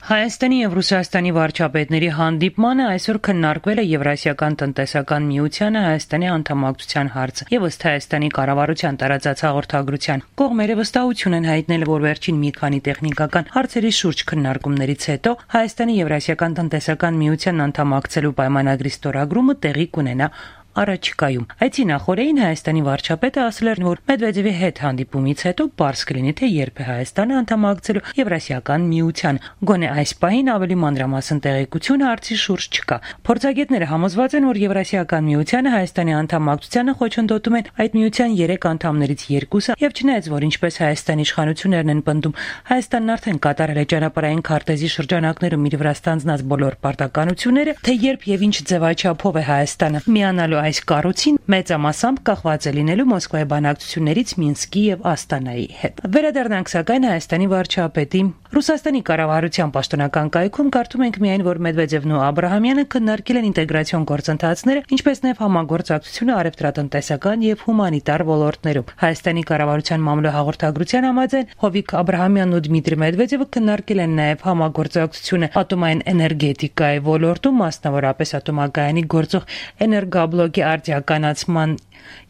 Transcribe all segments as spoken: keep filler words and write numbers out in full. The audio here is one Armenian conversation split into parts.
Հայաստանի և Ռուսաստանի վարչապետների հանդիպմանը այսօր քննարկվել է Եվրասիական տնտեսական միությանը Հայաստանի անդամակցության հարցը եւ ըստ Հայաստանի կառավարության տարածած հաղորդագրության կողմերը վստահություն են հայտնել, որ վերջին մի քանի տեխնիկական հարցերի շուրջ քննարկումներից հետո Հայաստանի Եվրասիական տնտեսական միությանն անդամակցելու պայմանագրի ստորագրումը տեղի կունենա առաջիկայում։ Այցի նախօրեին Հայաստանի վարչապետը ասել էր, որ Մեդվեդևի հետ հանդիպումից հետո պարզ կլինի, թե երբ է Հայաստանը անդամակցելու Եվրասիական միության։ Գոնե այս պահին ավելի մանրամասն տեղեկություն հարցի շուրջ չկա։ Փորձագետները համոզված են, որ Եվրասիական միությանը Հայաստանի անդամակցությանը խոչընդոտում են այդ միության երեք անդամներից երկուսը, եւ չնայած որ ինչպես Հայաստանի իշխանություններն են պնդում, Հայաստանն արդեն կատարել է ճանապարհային քարտեզի շրջանակներում իր վրա ստանձնած բոլոր պարտականությունները, թե երբ եւ ինչ ձևաչափով է Հայաստանը միանալու այս կառույցին մեծամասամբ կախված է լինելու Մոսկվայի բանակցություններից Մինսկի եւ Աստանայի հետ։ Վերադառնանք սակայն Հայաստանի վարչապետի Ռուսաստանի կառավարության պաշտոնական կայքում կարդում ենք միայն, որ Մեդվեդևն ու Աբրահամյանը քննարկել են ինտեգրացիոն գործընթացները, ինչպես նաեւ համագործակցությունը առևտրատնտեսական եւ հումանիտար ոլորտներում։ Հայաստանի կառավարության մամլո հաղորդագրության համաձայն Հովիկ Աբրահամյանն ու Դմիտրի Մեդվեդևը քննարկել են նաեւ համագործակցությունը ատոմային էներգետիկայի ոլորտում, մասնավորապես ատոմակայանի գործող էներգաբլոկի արդիականացման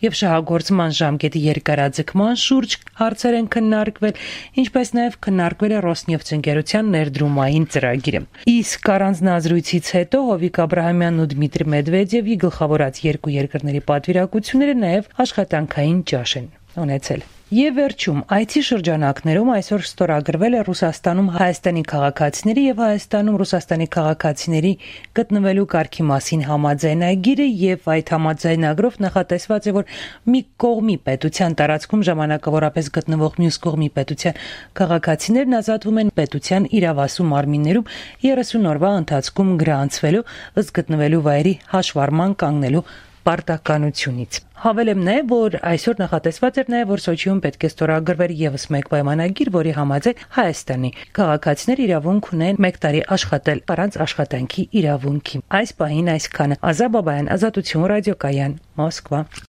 եւ շահագործման ժամկետի երկարաձգման շուրջ հարցեր են քննարկվել, ինչպես նաեւ քննարկվել է Ռոսնեֆթ ընկերության ներդրումային ծրագիրը։ Իսկ առանձնազրույցից հետո Հովիկ Աբրահամյանն ու Դմիտրի Մեդվեդևի գլխավորած երկու երկրների պատվիրակությունները նաեւ աշխատանքային ճաշ են ունեցել։ Եվ վերջում այցի շրջանակներում այսօր ստորագրվել է Ռուսաստանում Հայաստանի քաղաքացիների եւ Հայաստանում Ռուսաստանի քաղաքացիների գտնվելու կարգի մասին համաձայնագիրը եւ այդ համաձայնագրով նախատեսված է, որ մի կողմի պետության տարածքում ժամանակավորապես գտնվող մյուս կողմի պետության քաղաքացիներն ազատվում են պետության իրավասու մարմիններում երեսուն օրվա ընթացքում գրանցվելու ըստ գտնվելու վայրի հաշվառման կանգնելու պարտականությունից։ Հավելեմ նաև, որ այսօր նախատեսված էր նաև, որ Սոչիում պետք է ստորագրվեր եւս մեկ պայմանագիր, որի համաձայն Հայաստանի քաղաքացիներ իրավունք ունեն մեկ տարի աշխատել առանց աշխատանքի իրավունքի։ Այս պահին այսքանը։ Ազա Բաբայան, Ազատություն ռադիոկայան, Մոսկվա։